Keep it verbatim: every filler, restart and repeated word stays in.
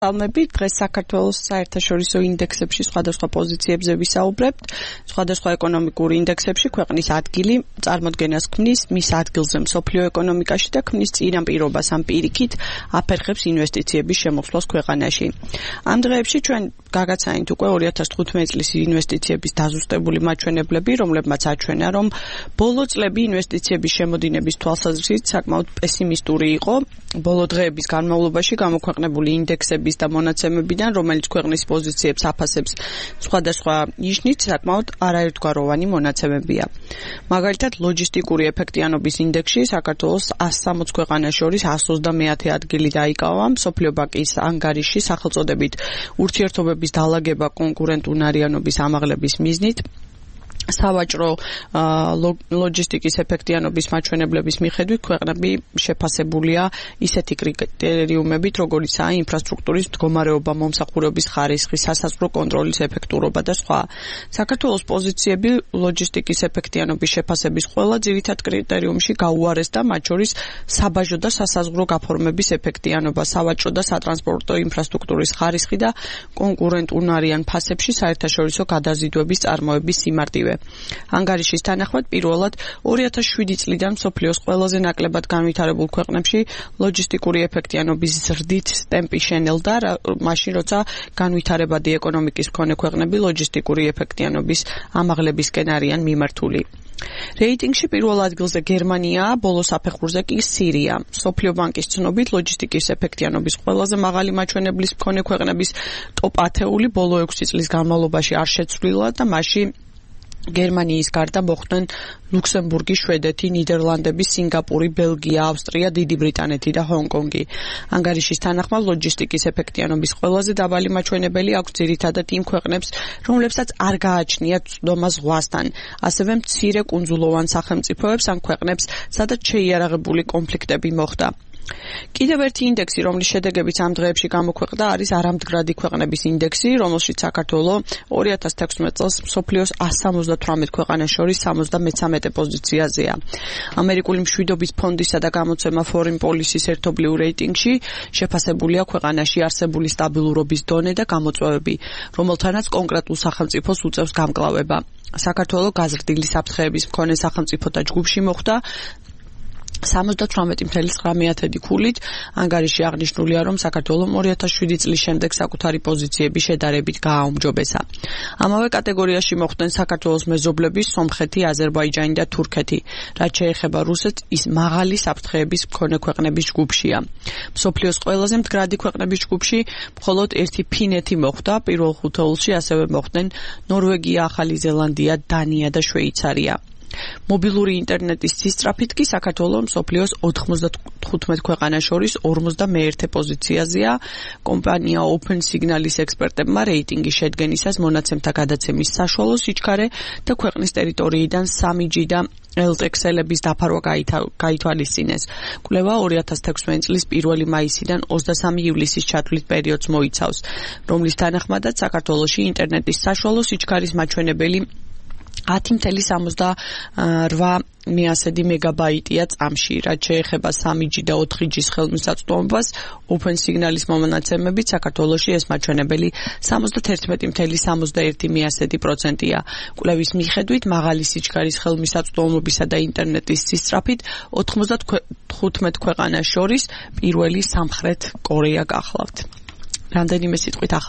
Almebit დღეს საქართველოს საერთაშორისო ინდექსებში სხვადასხვა პოზიციებზე ვისაუბრებთ. Სხვადასხვა ეკონომიკური ინდექსებში ქვეყნის ადგილი წარმოდგენას ქმნის მის ადგილზე მსოფლიო ეკონომიკაში და ქმნის წინაპირობას ამ პირიქით აფერხებს ინვესტიციების შემოსვლას ქვეყანაში. Ამ დღეებში ჩვენ გაგაცანით უკვე ორი ათას თხუთმეტი წლის ინვესტიციების დაზუსტებული მაჩვენებლები, რომლებმაც აჩვენა, რომ ბოლო წლები ინვესტიციების შემოდინების თვალსაზრისით საკმაოდ პესიმისტური იყო. Ბოლო დღეების განმავლობაში გამოქვეყნებული ინდექსების და მონაცემებიდან, რომელიც ქვეყნის პოზიციებს აფასებს სხვადასხვა ნიშნით, საკმაოდ არაერთგვაროვანი მონაცემებია. Მაგალითად, ლოჯისტიკური ეფექტიანობის ინდექსში საქართველოს ას სამოცი ქვეყანას შორის ას ოცდამეათე ადგილი დაიკავა, მსოფლიო ბანკის ანგარიში სახელწოდებით ურთიერთობების დალაგება კონკურენტუნარიანობის ამაღლების მიზნით. Სავაჭრო ლოჯისტიკის ეფექტიანობის მაჩვენებლების მიხედვით ქვეყნები შეფასებულია ისეთი კრიტერიუმებით, როგორიცაა ინფრასტრუქტურის მდგომარეობა, მომსახურების ხარისხი, სასაზღვრო კონტროლის ეფექტურობა და სხვა. საქართველოს პოზიციები ლოჯისტიკის ეფექტიანობის შეფასების ყველა ძირითად კრიტერიუმში გაუარესდა, მათ შორის საბაჟო და სასაზღვრო გაფორმების ეფექტიანობა, სავაჭრო და სატრანსპორტო ინფრასტრუქტურის ხარისხი და კონკურენტუნარიან ფასებში საერთაშორისო გადაზიდვების წარმოების სიმარტივე. ანგარიშის თანახმად პირველად ორი ათას შვიდი წლიდან მსოფლიოს ყველაზე ნაკლებად განვითარებულ ქვეყნებში ლოჯისტიკური ეფექტიანობის ზრდით ტემპი შენელდა, მაშინ როცა განვითარებადი ეკონომიკის მქონე ქვეყნები ლოჯისტიკური ეფექტიანობის ამაღლებისკენ არიან მიმართული. რეიტინგში პირველ ადგილზე გერმანიაა, ბოლო საფეხურზე კი სირია. მსოფლიო ბანკის ცნობით ლოჯისტიკის ეფექტიანობის ყველაზე მაღალი მაჩვენებლის მქონე ქვეყნების ტოპ ათეული ბოლო ექვსი წლის განმავლობაში არ შეცვლილა და მასში გერმანიის გარდა მოხვდნენ ლუქსემბურგი, შვედეთი, ნიდერლანდები, სინგაპური, ბელგია, ავსტრია, დიდი ბრიტანეთი და ჰონკონგი. ანგარიშის თანახმად ლოჯისტიკის ეფექტიანობის ყველაზე დაბალი მაჩვენებელი აქვს ძირითადად იმ ქვეყნებს, რომლებსაც არ გააჩნიათ წვდომა ზღვასთან, ასევე მცირე კუნძულოვან სახელმწიფოებს ან ქვეყნებს, სადაც შეიარაღებული კონფლიქტები მოხდა. კიდევ ერთი ინდექსი, რომლის შედეგებიც ამ დღეებში გამოქვეყნდა, არის არამდგრადი ქვეყნების ინდექსი, რომელშიც საქართველო ორი ათას თექვსმეტ წელს მსოფლიოს ას სამოცდათვრამეტ ქვეყანას შორის სამოცდამეცამეტე პოზიციაზეა. ამერიკული მშვიდობის ფონდისა და გამოცემა Foreign Policy-ის ერთობლივ რეიტინგში შეფასებულია ქვეყანაში არსებული სტაბილურობის დონე და გამოწვევები, რომელთანაც კონკრეტულ სახელმწიფოს უწევს გამკლავება. საქართველო გაზრდილი საფრთხეების მქონე სახელმწიფოთა ჯგუფში მოხვდა სამოცდათვრამეტი ფاصლე ცხრამეტი ქულით. ანგარიში აღნიშნულია, რომ საქართველომ ორი ათას შვიდი წლის შემდეგ საკუთარი პოზიციები შედარებით გააუმჯობესა. ამავე კატეგორიაში მოხვდნენ საქართველოს მეზობლები სომხეთი, აზერბაიჯანი და თურქეთი. რაც შეეხება რუსეთს, ის მაღალი საფრთხეების მქონე ქვეყნების ჯგუფშია. მსოფლიოს ყველაზე მდგრადი ქვეყნების ჯგუფში მხოლოდ ერთი ფინეთი მოხვდა, პირველ ხუთეულში ასევე მოხვდნენ ნორვეგია, ახალი ზელანდია, დანია და შვეიცარია. მობილური ინტერნეტის სისწრაფით კი საქართველო მსოფლიოს ოთხმოცდათხუთმეტ ქვეყანას შორის ორმოცდამეერთე პოზიციაზეა. კომპანია Open Signal-ის ექსპერტებმა რეიტინგის შედგენისას მონაცემთა გადაცემის საშუალო სიჩქარე და ქვეყნის ტერიტორიიდან სამი ჯი და ელ ტე ქსელების დაფარვა გაითვალისწინეს. კვლევა ორი ათას თექვსმეტი წლის პირველი მაისიდან ოცდასამი ივლისის ჩათვლით პერიოდს მოიცავს, რომლის თანახმადაც საქართველოში ინტერნეტის საშუალო სიჩქარის მაჩვენებელი ათი ფاصლე სამოცდაორ მეასედი მეგაბაიტია წამში. რაც შეეხება სამი ჯი და ოთხი ჯის ხელმისაწვდომობას, Open Signal-ის მონაცემებით საქართველოში ეს მაჩვენებელი სამოცდათერთმეტი ფاصლე სამოცდაერთი მეასედი პროცენტია. კვლევის მიხედვით მაღალი სიჩქარის ხელმისაწვდომობისა და ინტერნეტის სისწრაფით ოთხმოცდათხუთმეტ ქვეყანას შორის პირველი სამხრეთ კორეა გახლავთ. რამდენიმე სიტყვით ახალ